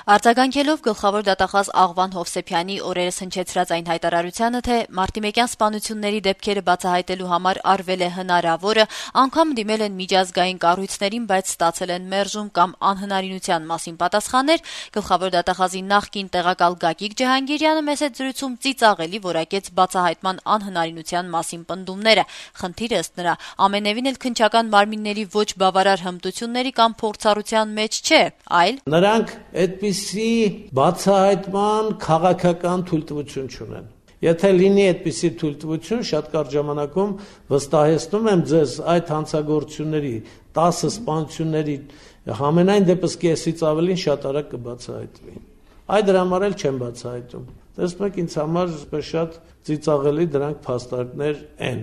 Արձագանքելով գլխավոր դատախազ Աղվան Հովսեփյանի օրերս հնչեցրած այն հայտարարությանը, թե մարտիմեկյան սպանությունների դեպքերը բացահայտելու համար արվել է հնարավորը, անգամ դիմել են միջազգային կառույցներին, բայց ստացել են մերժում կամ անհնարինության մասին պատասխաններ, գլխավոր դատախազի նախկին տեղակալ Գագիկ Ջհանգիրյանը մեծ զրույցում ծիծաղելի որակեց բացահայտման անհնարինության մասին պնդումները։ Խնդիրը ըստ նրա ամենևին էլ քննչական մարմինների ոչ բավարար հմտությունների կամ փորձառության մեջ չէ, այլ նրանք այդպիսի բացահայտման քաղաքական թույլտվություն չունեն։ Եթե լինի այդպիսի թույլտվություն, շատ կարճ ժամանակում վստահեցնում եմ ձեզ, այդ հանցագործությունների 10 սպանությունների համենայն դեպս կեսից ավելին շատ արագ կբացահայտվի։ Այդ դրա համար էլ չեմ բացահայտում։ Տեսնում եք, ինձ համար շատ ծիծաղելի դրանք փաստարկներ են։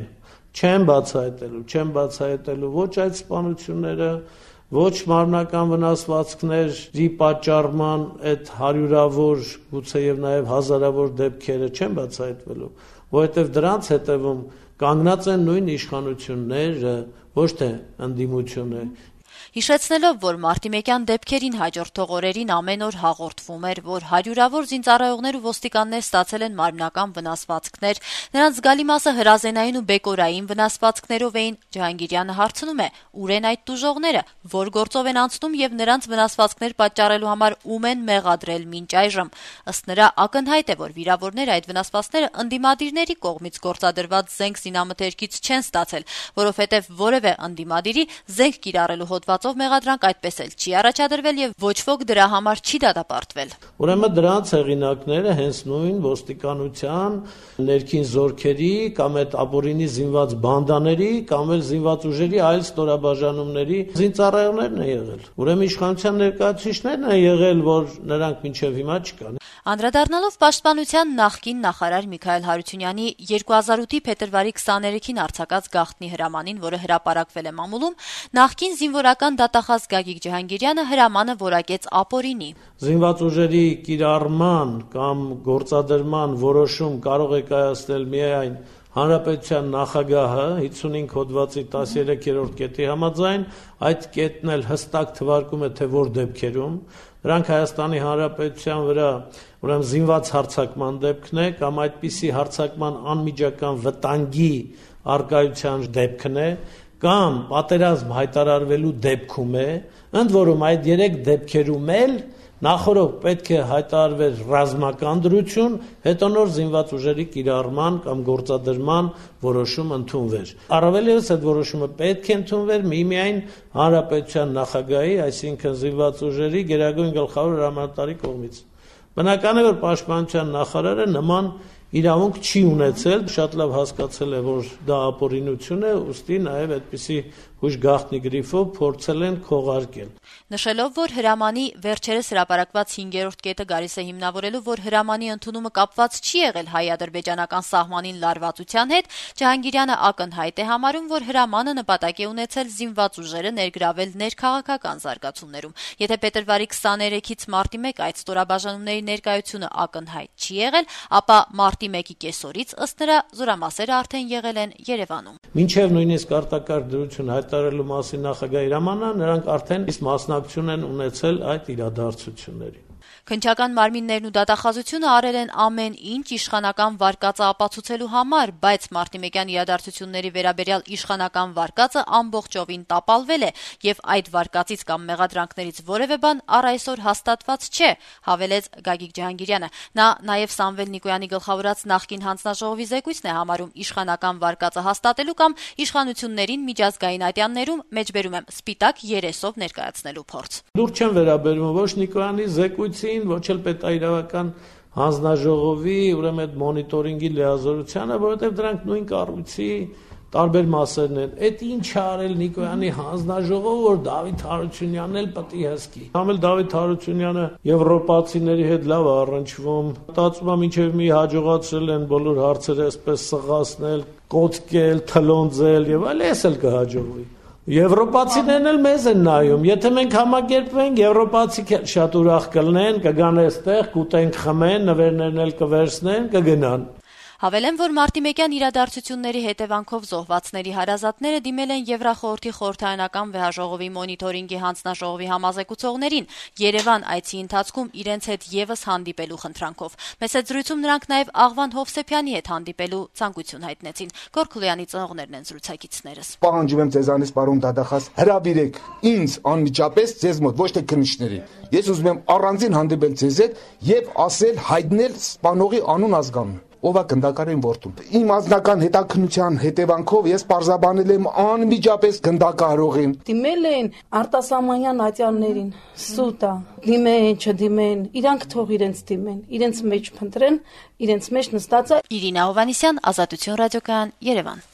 Չեմ բացահայտելու ոչ այդ սպանությունները, ոչ մարմնական վնասվածքների պատճառման այդ հարյուրավոր, գուցե եւ նաեւ հազարավոր դեպքերը չեն բացահայտվելու, որովհետեւ դրանց հետևում կանգնած են նույն իշխանությունները, ոչ թե ընդդիմությունը։ Հիշեցնելով, որ մարտիմեկյան դեպքերին հաջորդող օրերին ամեն օր հաղորդվում էր, որ հարյուրավոր զինծառայողներ ու ոստիկաններ ստացել են մարմնական վնասվածքներ, նրանց զգալի մասը հրազենային ու բեկորային վնասվածքներով էին, Ջհանգիրյանը հարցնում է, ուր են այդ տուժողները, որ գործով են անցնում եւ նրանց վնասվածքներ պատճառելու համար ում են մեղադրել մինչ այժմ։ Ըստ նրա ակնհայտ է, որ վիրավորները այդ վնասվածքները ընդդիմադիրների կողմից գործադրված զենք զինամթերքից չեն ստացել, որովհետեւ որևէ ընդդիմադիրի զենք կիրառելու հոդվածով մեղադրանք այդպես էլ չի առաջադրվել եւ ոչ ոք դրա համար չի դատապարտվել։ Ուրեմն դրանց հեղինակները հենց նույն ոստիկանության, ներքին զորքերի կամ այդ ապօրինի զինված բանդաների կամ էլ զինված ուժերի այլ ստորաբաժանումների զինծառայողներն են եղել։ Ուրեմն իշխանության ներկայացուցիչներն են եղել, որ նրանք մինչեւ հիմա չկան։ Անդրադառնալով Պաշտպանության նախկին նախարար Միքայել Հարությունյանի 2008-ի փետրվարի 23-ին արձակած գաղտնի հրամանին, որը հրապարակվել է մամուլում, նախկին զինվորական դատախազ Գագիկ Ջհանգիրյանը հրամանը որակեց ապօրինի։ Զինված ուժերի կիրառման կամ գործադրման որոշում կարող է կայացնել միայն Հանրապետության նախագահը 55 հոդվածի 13-րդ կետի համաձայն, այդ կետն էլ հստակ թվարկում է, թե որ դեպքերում դրանք Հայաստանի Հանրապետության վրա ուրեմն զինված հարձակման դեպքն է կամ այդպիսի հարձակման անմիջական վտանգի արկայության դեպքն է կամ պատերազմ հայտարարվելու դեպքում է, ընդ որում այդ 3 դեպքերում էլ նախորդ պետք է հայտարարվեր ռազմական դրություն, հետո նոր զինված ուժերի կիրառման կամ գործադրման որոշում ընդունվեր։ Առավել ևս այդ որոշումը պետք է ընդունվեր միմիայն Հանրապետության նախագահի, այսինքն զինված ուժերի գերագույն գլխավոր հրամանատարի կողմից։ Բնական է, որ Պաշտպանության նախարարը նման իրավունք չի ունեցել, շատ լավ հասկացել է, որ դա ապօրինություն է, ուստի նաև այդպիսի հույժ գաղտնի գրիֆով փորձել են քողարկել։ Նշելով, որ հրամանի վերջերս հրապարակված 5-րդ կետը գալիս է հիմնավորելու, որ հրամանի ընդունումը կապված չի եղել հայ-ադրբեջանական սահմանին լարվածության հետ, Ջհանգիրյանը ակնհայտ է համարում, որ հրամանը նպատակ է ունեցել զինված ուժերը ներգրավել ներքաղաքական զարգացումներում։ Եթե փետրվարի 23-ից մարտի 1 այդ ստորաբաժանումների ներկայությունը ակնհայտ չի եղել, ապա մարտի 1-ի կեսօրից ըստ նրա զորամասերը արդեն եղել են Երևանում։ Մինչև նույնիսկ արտակարգ դրություն հայտարարելու մասին նախագահի հրամանը, նրանք արդեն մասնակցություն են ունեցել այդ իրադարձություններին։ Քննչական մարմիններն ու դատախազությունը արել են ամեն ինչ իշխանական վարկածը ապացուցելու համար, բայց մարտիմեկյան իրադարձությունների վերաբերյալ իշխանական վարկածը ամբողջովին տապալվել է եւ այդ վարկածից կամ մեղադրանքներից որևէ բան առ այսօր հաստատված չէ, հավելեց Գագիկ Ջհանգիրյանը։ Նա նաեւ Սամվել Նիկոյանի գլխավորած նախկին հանձնաժողովի զեկույցն է համարում իշխանական վարկածը հաստատելու կամ իշխանություններին միջազգային ատյաններում մեջբերում եմ սպիտակ երեսով ներկայացնելու փորձ։ Դուր չեն վերաբերվում ոչ Նիկոյանի զեկույցին, ոչ էլ պետաիրավական հանձնաժողովի, ուրեմն այդ մոնիտորինգի լիազորությանը, որովհետև դրանք նույն կառույցի տարբեր մասերն են։ Այդ ինչ արել Նիկոյանի հանձնաժողովը, որ Դավիթ Հարությունյանն էլ պետք է հսկի։ Համել Դավիթ Հարությունյանը եվրոպացիների հետ լավ առնչվում, մտածում եմ ինչեւ մի հաջողացրել են բոլոր հարցերը այսպես սղացնել, կոծկել, թլոնձել եւ այլ, էս էլ կհաջողվի։ Եվրոպացիներն էլ մեզ են նայում, եթե մենք համագերպվենք, եվրոպացի շատ ուրախ կլինեն, կգան այստեղ, կուտեն, խմեն, նվերներն էլ կվերցնեն, կգնան։ Հավելեմ, որ մարտի 1-յան իրադարձությունների հետևանքով զոհվածների հարազատները դիմել են Եվրախորհրդի խորհրդարանական վեհաժողովի մոնիտորինգի հանձնաժողովի համազեկուցողներին Երևան այցի ընթացքում իրենց հետ եւս հանդիպելու խնդրանքով։ Մեծ զրույցում նրանք նաեւ Աղվան Հովսեփյանի հետ հանդիպելու ցանկություն հայտնեցին։ Գորգուլյանի ծնողներն են զրուցակիցներս։ Պահանջում եմ ձեզանից, պարոն Դադախաս, հրավիրեք ինձ անմիջապես ձեզ մոտ, ոչ թե քննիչների։ Ես ուզում եմ առանձին հանդիպել ձեզ հետ եւ ասել, հայտնել սպանողի անուն ազգանուն, ով է գնդակարային որդուն։ Իմ անձնական հետաքննության հետևանքով ես պարզաբանել եմ անմիջապես գնդակահարողին։ Դիմել են արտասահմանյան ատյաններին, սուտ է, դիմեն, չդիմեն, իրանք թող իրենց դիմեն, իրենց մեջ փնտրեն, իրենց մեջ նստած է։ Իրինա Հովանիսյան, Ազատություն ռադիոկայան, Երևան։